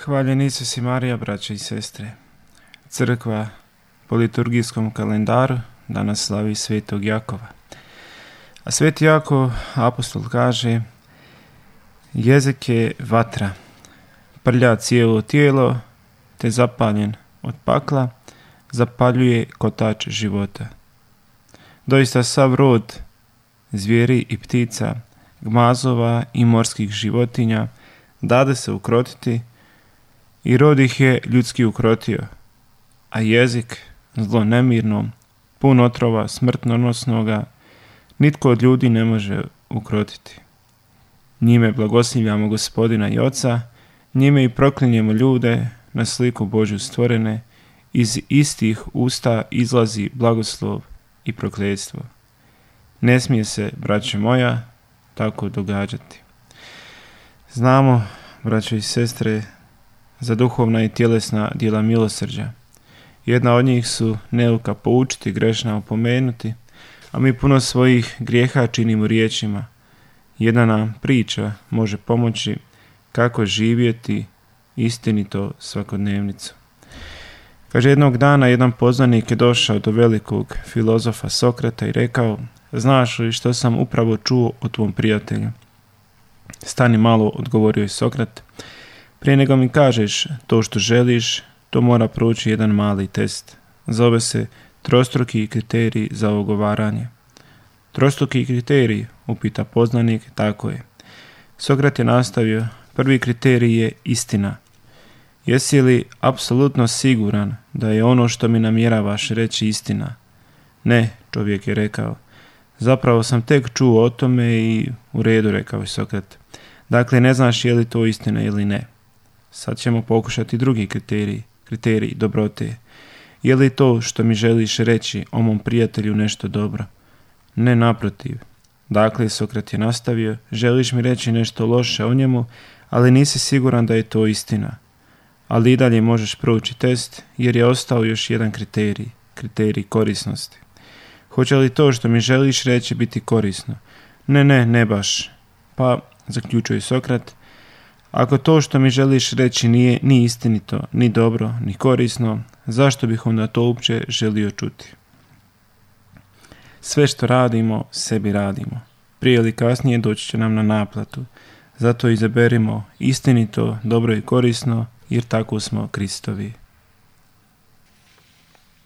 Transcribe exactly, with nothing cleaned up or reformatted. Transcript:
Hvaljen Isus i Marija, braće i sestre. Crkva po liturgijskom kalendaru danas slavi svetog Jakova. A sveti Jakov, apostol, kaže: jezik je vatra, prlja cijelo tijelo, te zapaljen od pakla, zapaljuje kotač života. Doista sav rod zvijeri i ptica, gmazova i morskih životinja dade se ukrotiti, i rod ih je ljudski ukrotio, a jezik zlo nemirno, pun otrova smrtnonosnoga, nitko od ljudi ne može ukrotiti. Njime blagoslivljamo Gospodina i Oca, njime i proklinjemo ljude na sliku Božju stvorene, iz istih usta izlazi blagoslov i prokletstvo. Ne smije se, braćo moja, tako događati. Znamo, braćo i sestre, za duhovna i tjelesna djela milosrđa. Jedna od njih su neuka poučiti, grešna opomenuti, a mi puno svojih grijeha činimo riječima. Jedna nam priča može pomoći kako živjeti istinito svakodnevnicu. Kaže, jednog dana jedan poznanik je došao do velikog filozofa Sokrata i rekao: znaš li što sam upravo čuo o tvom prijatelju? Stani malo, odgovorio je Sokrat. Prije nego mi kažeš to što želiš, to mora proći jedan mali test. Zove se trostruki kriterij za ogovaranje. Trostruki kriterij, upita poznanik. Tako je. Sokrat je nastavio: prvi kriterij je istina. Jesi li apsolutno siguran da je ono što mi namjeravaš reći istina? Ne, čovjek je rekao. Zapravo sam tek čuo o tome i u redu, rekao je Sokrat. Dakle, ne znaš je li to istina ili ne. Sad ćemo pokušati drugi kriterij, kriterij dobrote. Je li to što mi želiš reći o mom prijatelju nešto dobro? Ne, naprotiv. Dakle, Sokrat je nastavio: želiš mi reći nešto loše o njemu, ali nisi siguran da je to istina. Ali i dalje možeš proći test, jer je ostao još jedan kriterij, kriterij korisnosti. Hoće li to što mi želiš reći biti korisno? Ne, ne, ne baš. Pa, zaključuje Sokrat, ako to što mi želiš reći nije ni istinito, ni dobro, ni korisno, zašto bih onda to uopće želio čuti? Sve što radimo, sebi radimo. Prije ili kasnije doći će nam na naplatu. Zato izaberimo istinito, dobro i korisno, jer tako smo Kristovi.